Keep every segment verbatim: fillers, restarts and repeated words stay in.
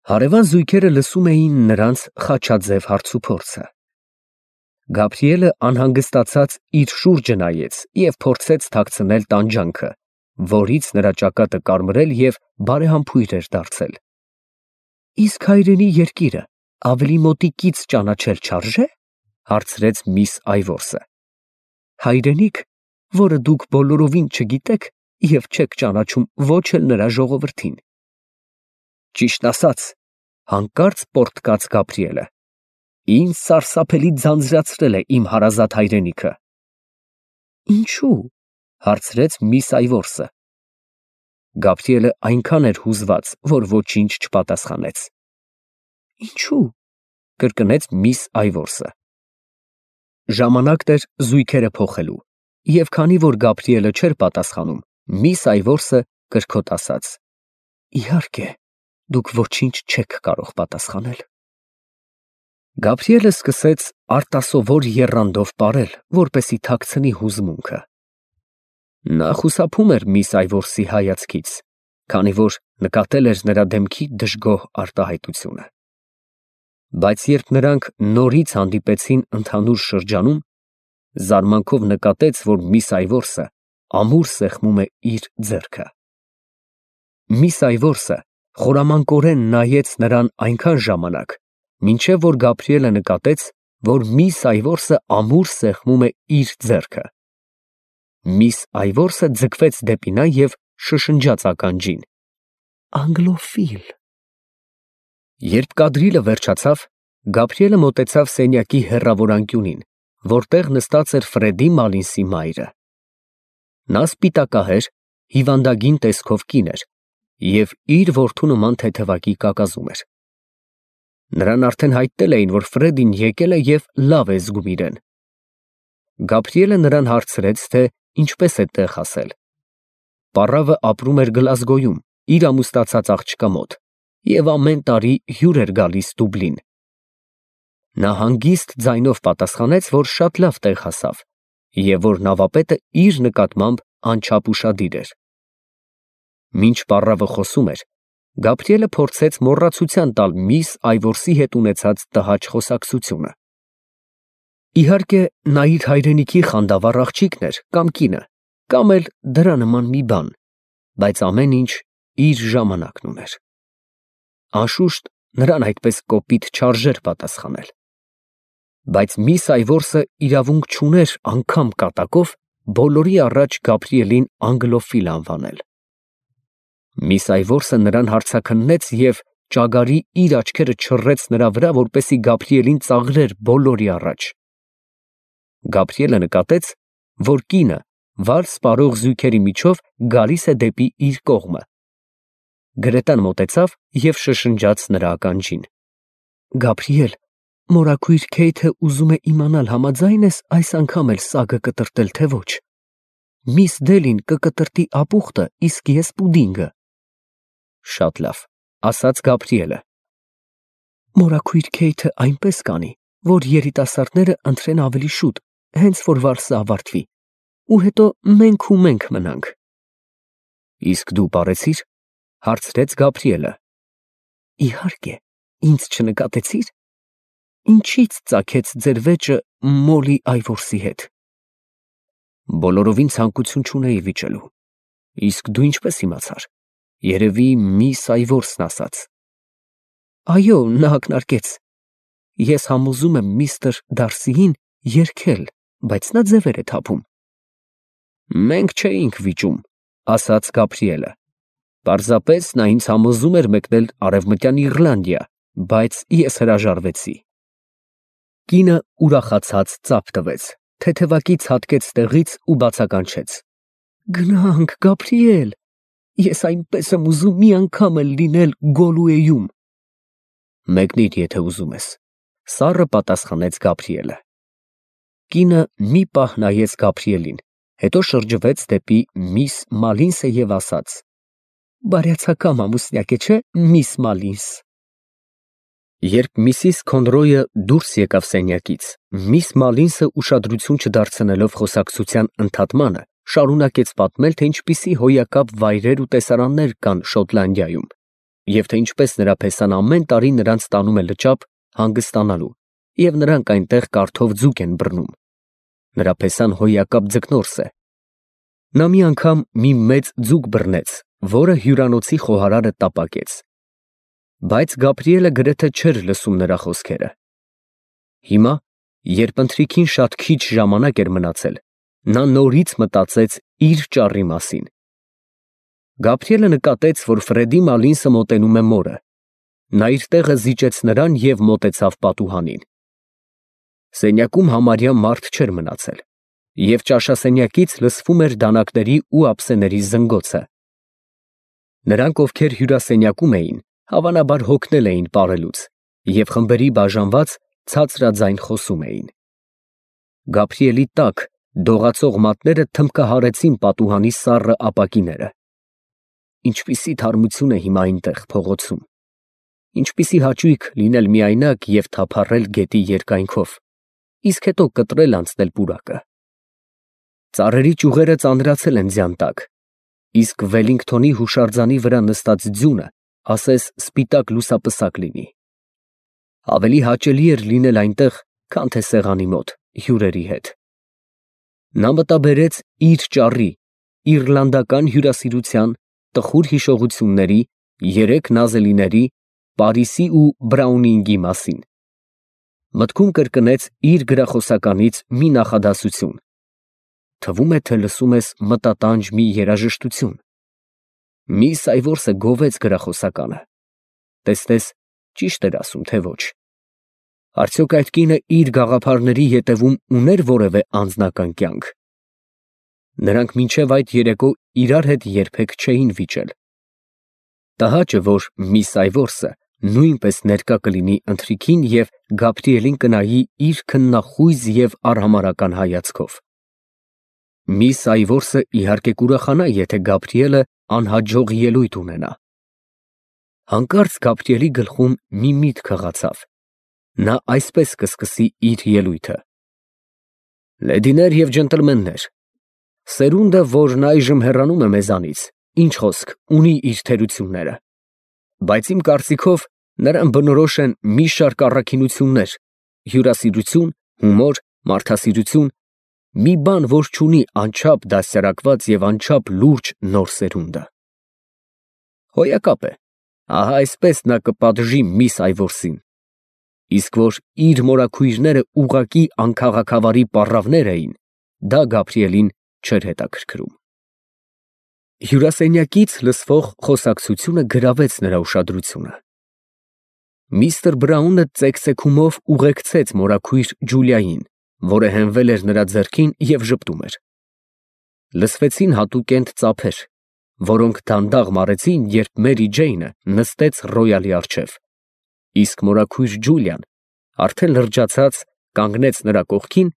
Հարևան զույգերը լսում էին նրանց խաչաձև հարցուփորձը։ Գաբրիելը անհանգստացած իր շուրջը նայեց և փորձեց թաքցնել տանջանքը, որից նրա ճակատը կարմրել և բարեհամբույր էր դարձել։ Իսկ հայրենի երկիրը ավելի մոտիկից ճանաչել չարժե՞, հարցրեց միս Այվորսը։ Հայրենիք, որը դուք բոլորովին չգիտեք և չեք ճանաչում ոչ էլ նրա ժողովրդին։ Ճիշտ ասած, հանկարծ պոռթկաց Գաբրիելը, ինձ սարսափելի ձանձրացրել է իմ հարազատ հայրենիքը։ Ինչու՞, հարցրեց միս Այվորսը։ Գաբրիելը այնքան էր հուզված, որ ոչինչ չպատասխանեց։ Ինչու՞, կրկնեց միս Այվորսը։ Ժամանակն էր զույգերը փոխելու, և քանի որ Գաբրիելը չէր պատասխանում, միս Այվորսը կրքոտ ասաց. Իհարկե, դուք ոչինչ չեք կարող պատասխանել։ Գաբրիելը սկսեց արտասովոր եռանդով պարել, որպեսզի թաքցնի հուզմունքը։ Նա խուսափում էր միս Այվորսի հայացքից, քանի որ նկատել էր նրա դեմքի դժգոհ արտահայտությունը։ Բայց երբ նրանք նորից հանդիպեցին ընդհանուր շրջանում, զարմանքով նկատեց, որ միս Այվորսը ամուր սեղմում է իր ձեռքը։ Միս Այվորսը խորամանկորեն նայեց նրան այնքան ժամանակ, մինչև որ Գաբրիելը նկատեց, որ միս Այվորսը ամուր սեղմում է իր ձեռքը։ Միս Այվորսը ձգվեց դեպի նա և շշնջաց ականջին. Անգլոֆիլ։ Երբ կադրիլը վերջացավ, Գաբրիելը մոտեցավ սենյակի հեռավոր անկյունին, որտեղ նստած էր Ֆրեդի Մալինսի մայրը։ Նա սպիտակահեր, հիվանդագին տեսքով կին էր և իր որդու նման թեթևակի կակազում էր։ Նրան արդեն հայտնել էին, որ Ֆրեդին եկել է և լավ է զգում իրեն։ Գաբրիելը նրան հարցրեց, թե ինչպես է տեղ հասել։ Պառավը ապրում էր Գլազգոյում, իր ամուսնացած աղջկա մոտ, և ամեն տարի հյուր էր գալիս Դուբլին։ Նա հանգիստ ձայնով պատասխանեց, որ շատ լավ տեղ հասավ, և որ նավապետը իր նկատմամբ անչափ ուշադիր էր։ Մինչ պառավը խոսում էր, Գաբրիելը փորձեց մոռացության տալ միս Այվորսի հետ ունեցած տհաճ խոսակցությունը։ Իհարկե, նա իր հայրենիքի խանդավառ աղջիկն էր կամ կինը, կամ էլ դրա նման մի բան, բայց ամեն ինչ իր ժամանակն ուներ։ Անշուշտ, նրան այդպես կոպիտ չարժեր պատասխանել։ Բայց միս Այվորսը իրավունք չուներ անգամ կատակով բոլորի առաջ Գաբրիելին անգլոֆիլ անվանել։ Միս Այվորսը նրան հարցաքննեց և ճագարի իր աչքերը չռեց նրա վրա, որպեսզի Գաբրիելին ծաղրեր բոլորի առաջ։ Գաբրիելը նկատեց, որ կինը վար սպառող զույգերի միջով գալիս է դեպի իր կողմը։ Գրետան մոտեցավ և շշնջաց նրա ականջին. Գաբրիել, մորաքույր Քեյթը ուզում է իմանալ համաձա՞յն ես այս անգամ էլ սագը կտրտել, թե ոչ։ Միս Դելին կկտրտի ապուխտը, իսկ ես պուդինգը։ Շատ լավ, ասաց Գաբրիելը։ Մորաքույր Քեյթը այնպես կանի, որ երիտասարդները ընտրեն ավելի շուտ, հենց որ վարսը ավարտվի, ու հետո մենք ու մենք մնանք։ Իսկ դու պարեցի՞ր, հարցրեց Գաբրիելը։ Իհարկե, ինձ չնկատեցի՞ր։ Ինչից ծագեց ձեր վեճը Մոլի Այվորսի հետ։ Բոլորովին ցանկություն չունեի վիճելու։ Իսկ դու ինչպես իմացար։ Երևի միս Այվորսն ասաց։ Այո, նա ակնարկեց։ Ես համոզում եմ միստր Դարսիին երգել, բայց նա ձևեր է թափում։ Մենք չէինք վիճում, ասաց Գաբրիելը։ Պարզապես նա ինձ համոզում էր մեկնել Արևմտյան Իռլանդիա, բայց ես հրաժարվեցի։ Կինը ուրախացած ծափ տվեց, թեթևակից հատկեց տեղից ու բացականչեց. Գնանք, Գաբրիել, ես այնպես եմ ուզում մի անգամ էլ լինել Գոլուեյում։ Մեկնիր, եթե ուզում ես, սառը պատասխանեց Գաբրիելը։ Կինը մի պահ նայեց Գաբրիելին, հետո շրջվեց դեպի միս Մալինսը և ասաց. Բարյացակամ ամուսնյակ է, չէ՞, միս Մալինս։ Երբ միսիս Քոնրոյը դուրս եկավ սենյակից, միս Մալինսը ուշադրություն չդարձնելով խոսակցության ընդհատմանը, շարունակեց պատմել, թե ինչպիսի հոյակապ վայրեր ու տեսարաններ կան Շոտլանդիայում, և թե ինչպես նրա փեսան ամեն տարի նրանց տանում է լճապ հանգստանալու, և նրանք այնտեղ կարթով ձուկ են բռնում. նրա փեսան հոյակապ ձկնորս է։ Նա մի անգամ մի մեծ ձուկ բռնեց, որը հյուրանոցի խոհարարը տապակեց։ Բայց Գաբրիելը գրեթե չէր լսում նրա խոսքերը։ Հիմա, երբ ընթրիքին շատ քիչ ժամանակ էր մնացել, նա նորից մտածեց իր ճառի մասին։ Գաբրիելը նկատեց, որ Ֆրեդի Մալինսը մոտենում է մորը։ Նա իր տեղը զիջեց նրան և մոտեցավ պատուհանին։ Սենյակում համարյա մարդ չէր մնացել, և ճաշասենյակից լսվում էր դանակների ու ափսեների զնգոցը։ Նրանք, ովքեր հյուրասենյակում էին, հավանաբար հոգնել էին պարելուց և խմբերի բաժանված ցածրաձայն խոսում էին։ Գաբրիելի տաք, դողացող մատները թմբկահարեցին պատուհանի սառը ապակիները։ Ինչպիսի թարմություն է հիմա այնտեղ փողոցում։ Ինչպիսի հաճույք լինել միայնակ և թափառել գետի երկայնքով, իսկ հետո կտրել անցնել պուրակը։ Ծառերի ճյուղերը ծանրացել են ձյան տակ, իսկ Վելլինգթոնի հուշարձանի վրա նստած ձյունը ասես սպիտակ լուսապսակ լինի։ Ավելի հաճելի էր լինել այնտեղ, քան թե սեղանի մոտ հյուրերի հետ։ Նա մտաբերեց իր ճառի, իռլանդական հյուրասիրության, տխուր հիշողությունների, երեք նազելիների, Պարիսի ու Բրաունինգի մասին։ Մտքում կրկնեց իր գրախոսականից մի նախադասություն. թվում է, թե լսում ես մտատանջ մի երաժշտություն։ Միս Այվորսը գովեց գրախոսականը։ Տեսնես, ճիշտ էր ասում, թե ոչ։ Արդյոք այդ կինը իր գաղափարների ետևում ուներ որևէ անձնական կյանք։ Նրանք մինչև այդ երեկո իրար հետ երբեք չէին վիճել։ Տհաճը, որ միս Այվորսը նույնպես ներկա կլինի ընթրիքին և Գաբրիելին կնայի իր քննախույզ և արհամարհական հայացքով։ Միս Այվորսը իհարկե կուրախանա, եթե Գաբրիելը անհաջող ելույթ ունենա։ Հանկարծ Գաբրիելի գլխում մի միտք հղացավ։ Նա այսպես կսկսի իր ելույթը. Լեդիներ և ջենտլմեններ, սերունդը, որն այժմ հեռանում է մեզանից, ինչ խոսք, ունի իր թերությունները, բայց իմ կարծիքով նրան բնորոշ են մի շարք առաքինություններ, հյուրասիրություն, հումոր, մարդասիրություն, մի բան, որ չունի անչափ դաստիարակված և անչափ լուրջ նոր սերունդը։ Հոյակապ է, ահա այսպես նա կպատժի միս Այվորսին, իսկ որ իր մորաքույրները ուղղակի անքաղաքավարի պառավներ էին, դա Գաբրիելին չէր հետաքրքրում։ Հյուրասենյակից լսվող խոսակցությունը գրավեց նրա ուշադրությունը։ Միստր Բրաունը ծեքծեքումով ուղեկցեց մորաքույր Ջուլիային, որը հենվել էր նրա ձեռքին և ժպտում էր։ Լսվեցին հատուկենտ ծափեր, որոնք դանդաղ մարեցին, երբ Մերի Ջեյնը նստեց ռոյալի առջև, իսկ մորաքույր Ջուլիան, արդեն լրջացած, կանգնեց նրա կողքին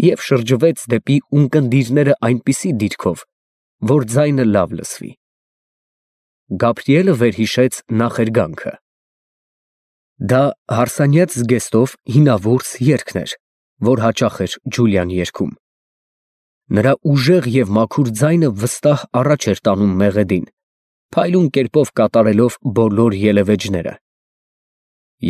և շրջվեց դեպի ունկնդիրները այնպիսի դիրքով, որ ձայնը լավ լսվի։ Գաբրիելը վերհիշեց նախերգանքը։ Դա հարսանյաց զգեստով հինավուրց երգն էր, որ հաճախ էր Ջուլիան երգում։ Նրա ուժեղ և մաքուր ձայնը վստահ առաջ էր տանում մեղեդին, փայլուն կերպով կատարելով բոլոր ելևէջները։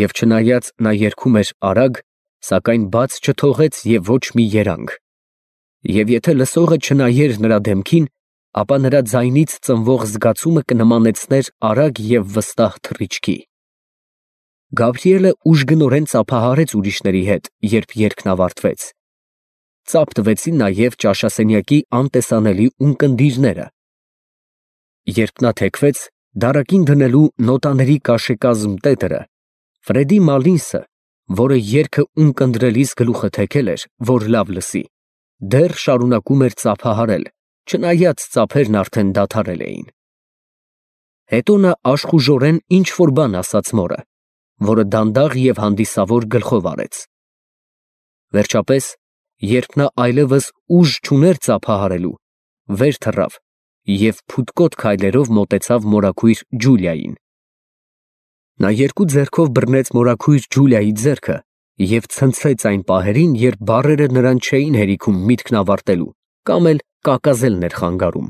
Եվ չնայած նա երգում էր արագ, սակայն բաց չթողեց և ոչ մի երանգ։ Եվ եթե լսողը չնայեր նրա դեմքին, ապա նրա ձայնից ծնվող զգացումը կնմանեցներ արագ և վստահ թռիչքի։ Գաբրիելը ուժգնորեն ծափահարեց ուրիշների հետ, երբ երգն ավարտվեց։ Ծափ տվեցին նաև ճաշասենյակի անտեսանելի ունկնդիրները։ Երբ նա թեքվեց, դարակին դնելու նոտաների կաշեկազմ տետրը, Ֆրեդի Մալինսը, որը երգը ունկնդրելիս գլուխը թեքել էր, որ լավ լսի, դեռ շարունակում էր ծափահարել, չնայած ծափերն արդեն դադարել էին։ Հետո նա աշխուժորեն ինչ֊որ բան ասաց մորը, որը դանդաղ և հանդիսավոր գլխով արեց։ Վերջապես, երբ նա այլևս ուժ չուներ ծափահարելու, վեր թռավ և փութկոտ քայլերով մոտեցավ մորաքույր Ջուլիային։ Նա երկու ձեռքով բռնեց մորաքույր Ջուլիայի ձեռքը և ցնցեց այն պահերին, երբ բառերը նրան չէին հերիքում միտքն ավարտելու կամ էլ կակազելն էր խանգարում։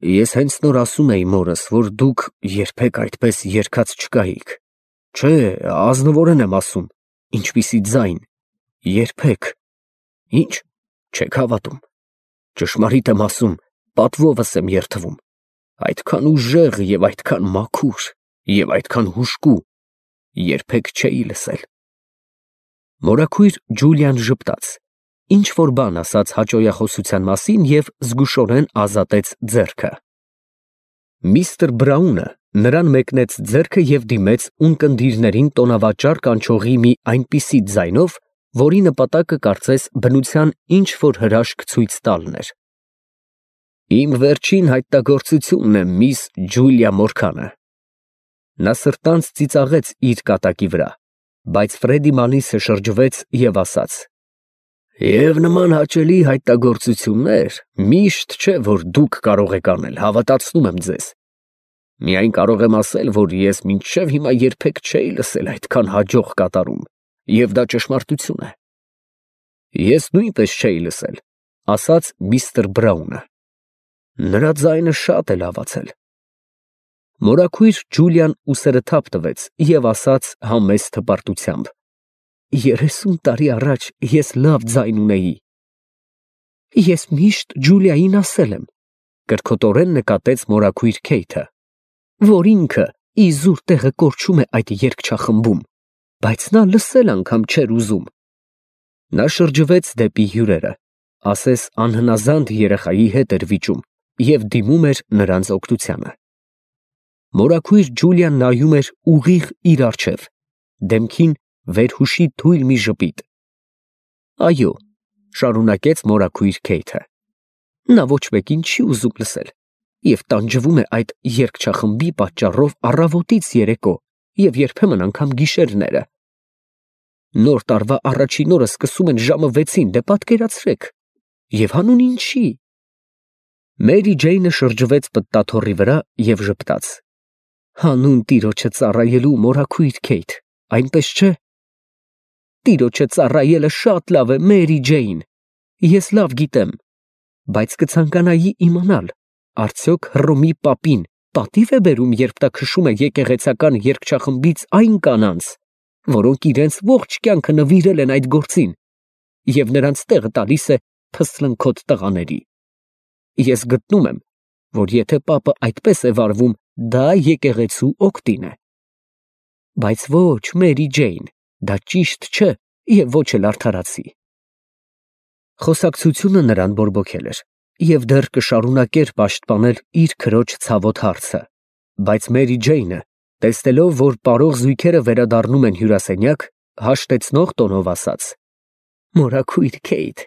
Ես հենց նոր ասում էի մորս, որ դուք երբեք այդպես երգած չկայիք։ Չէ, ազնվորեն եմ ասում, ինչպիսի ձայն, երբեք։ Ինչ, չեք հավատում։ Ճշմարիտ եմ ասում, պատվովս եմ երդվում։ Այդքան ուժեղ և այդքան մաքուր և այդքան հուժկու երբեք չէի լսել։ Մորաքույր Ջուլիան ժպտաց, ինչ որ բան ասաց հաճոյախոսության մասին և զգուշորեն ազատեց ձեռքը։ Միստր Բրաունը նրան մեկնեց ձեռքը և դիմեց ունկնդիրներին տոնավաճառ կանչողի մի այնպիսի ձայնով, որի նպատակը կարծես բնության ինչ որ հրաշք ցույց տալն էր։ Իմ վերջին հայտնագործությունն է, միս Ջուլիա Մորքանը։ Նա սրտանց ծիծաղեց իր կատակի վրա, բայց Ֆրեդի Մանլիսը շրջվեց և ասաց. Եվ նման հաճելի հայտնագործություններ միշտ չէ, որ դուք կարող եք անել, հավատացնում եմ ձեզ։ Միայն կարող եմ ասել, որ ես մինչև հիմա երբեք չէի լսել այդքան հաջող կատարում, և դա ճշմարտություն է։ Ես նույնպես չէի լսել, ասաց միստր Բրաունը։ Նրա ձայնը շատ է լավացել։ Մորաքույր Ջուլիան ուսերը թափ տվեց և ասաց համեստ հպարտությամբ. Երեսուն տարի առաջ ես լավ ձայն ունեի։ Ես միշտ Ջուլիային ասել եմ, կրքոտորեն նկատեց մորաքույր Քեյթը, որ ինքը իզուր տեղը կորչում է այդ երգչախմբում, բայց նա լսել անգամ չէր ուզում։ Նա շրջվեց դեպի հյուրերը, ասես անհնազանդ երեխայի հետ էր վիճում և դիմում էր նրանց օգնությանը։ Մորաքույր Ջուլիան նայում էր ուղիղ իր առջև, դեմքին վերհուշի թույլ մի ժպիտ։ Այո, շարունակեց մորաքույր Քեյթը, նա ոչ մեկին չի ուզում լսել և տանջվում է այդ երգչախմբի պատճառով առավոտից երեկո և երբեմն անգամ գիշերները։ Նոր տարվա առաջին օրը սկսում են ժամը վեցին, դե պատկերացրեք, և հանուն ինչի։ Մերի Ջեյնը շրջվեց պտտաթոռի վրա և ժպտաց. Հանուն տիրոջը ծառայելու, մորաքույր Քեյթ, այնպես չէ։ Տիրոջը ծառայելը շատ լավ է, Մերի Ջեյն, ես լավ գիտեմ, բայց կցանկանայի իմանալ, արդյոք Հռոմի պապին պատիվ է բերում, երբ նա քշում է եկեղեցական երգչախմբից այն կանանց, որոնք իրենց ողջ կյանքը նվիրել են այդ գործին, և նրանց տեղը տալիս է փսլնքոտ տղաների։ Ես գտնում եմ, որ եթե պապը այդպես է վարվում, դա եկեղեցու օգտին է։ Բայց ոչ, Մերի Ջեյն, դա ճիշտ չէ և ոչ էլ արդարացի։ Խոսակցությունը նրան բորբոքել էր և դեռ կշարունակեր պաշտպանել իր քրոջ ցավոտ հարցը, բայց Մերի Ջեյնը, տեսնելով, որ պարող զույգերը վերադառնում են հյուրասենյակ, հաշտեցնող տոնով ասաց. Մորաքույր Քեյթ,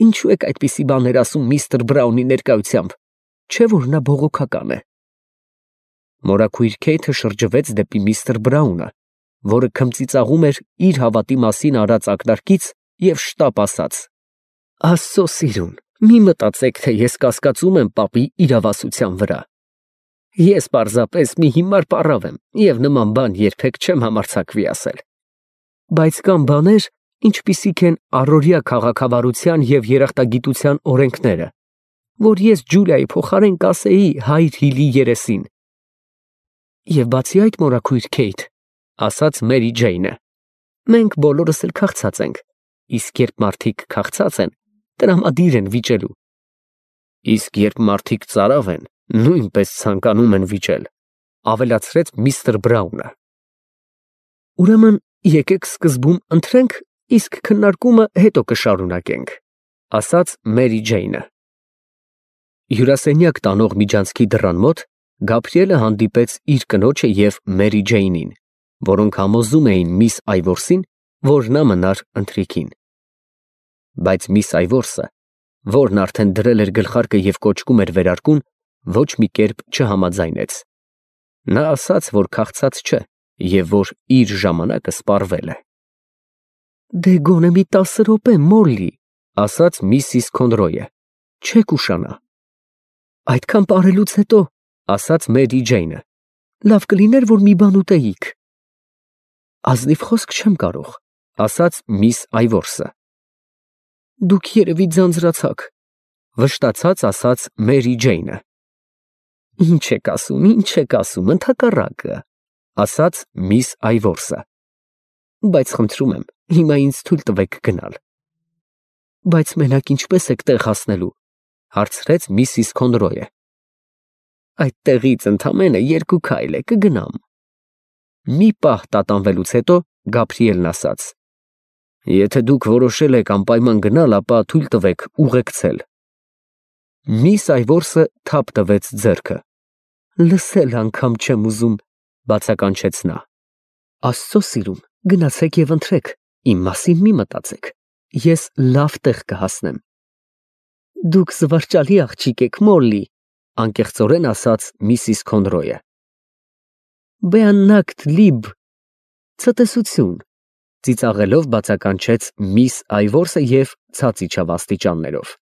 ինչու եք այդպիսի բաներ ասում միստր Բրաունի ներկայությամբ, չէ՞ որ նա բողոքական է։ Մորաքույր Քեյթը շրջվեց դեպի միստր Բրաունը, որը քմծիծաղում էր իր հավատի մասին արած ակնարկից և շտապ ասաց. Աստծո սիրուն, մի մտածեք, թե ես կասկածում եմ պապի իրավասության վրա։ Ես պարզապես մի հիմար պառավ եմ և նման բան երբեք չեմ համարձակվի ասել։ Բայց կան բաներ, ինչպիսիք են առօրյա քաղաքավարության և երախտագիտության օրենքները, որ ես Ջուլիայի փոխարեն կասեի հայր Հիլի երեսին։ Եվ բացի այդ, մորաքույր Քեյթ, ասաց Մերի Ջեյնը, մենք բոլորս էլ քաղցած ենք, իսկ երբ մարդիկ քաղցած են, տրամադիր են վիճելու։ Իսկ երբ մարդիկ ծարավ են, նույնպես ցանկանում են վիճել, ավելացրեց միստր Բրաունը։ Ուրեմն եկեք սկզբում ընտրենք, իսկ քննարկումը հետո կշարունակենք, ասաց Մերի Ջեյնը։ Հյուրասենյակ տանող միջանցքի դռան մոտ Գաբրիելը հանդիպեց իր կնոջը և Մերի Ջեյնին, որոնք համոզում էին միս Այվորսին, որ նա մնար ընթրիքին։ Բայց միս Այվորսը, որն արդեն դրել էր գլխարկը և կոճկում էր վերարկուն, ոչ մի կերպ չհամաձայնեց։ Նա ասաց, որ քաղցած չէ և որ իր ժամանակը սպառվել է։ Դե գոնե մի տասը րոպե, Մոլլի, ասաց միսիս Քոնրոյը, չեք ուշանա։ Այդքան պարելուց հետո, ասաց Մերի Ջեյնը, լավ կլիներ, որ մի բան ուտեիք։ Ազնիվ խոսք չեմ կարող, ասաց միս Այվորսը։ Դուք երևի ձանձրացաք, վշտացած ասաց Մերի Ջեյնը։ Ինչ եք ասում, ինչ եք ասում, ընդհակառակը, ասաց միս Այվորսը։ Բայց խնդրում եմ, հիմա ինձ թույլ տվեք գնալ։ Բայց մենակ ինչպես եք տեղ հասնելու, հարցրեց միսիս Քոնրոյը։ Այդ տեղից ընդամենը երկու քայլ է, կգնամ։ Մի պահ տատանվելուց հետո Գաբրիելն ասաց. Եթե դուք որոշել եք անպայման գնալ, ապա թույլ տվեք ուղեկցել։ Միս Այվորսը թափ տվեց ձեռքը։ Լսել անգամ չեմ ուզում, բացականչեց նա։ Աստծո սիրուն, գնացեք եւ ընթրեք, իմ մասին մի մտածեք, ես լավ տեղ կհասնեմ։ Դուք զվարճալի աղջիկ եք, Մոլլի, անկեղծորեն ասաց միսիս Քոնրոյը։ Բեաննակտ լիբ, ցտեսություն, ծիծաղելով բացականչեց միս Այվորսը եւ ցած իջավ աստիճաններով։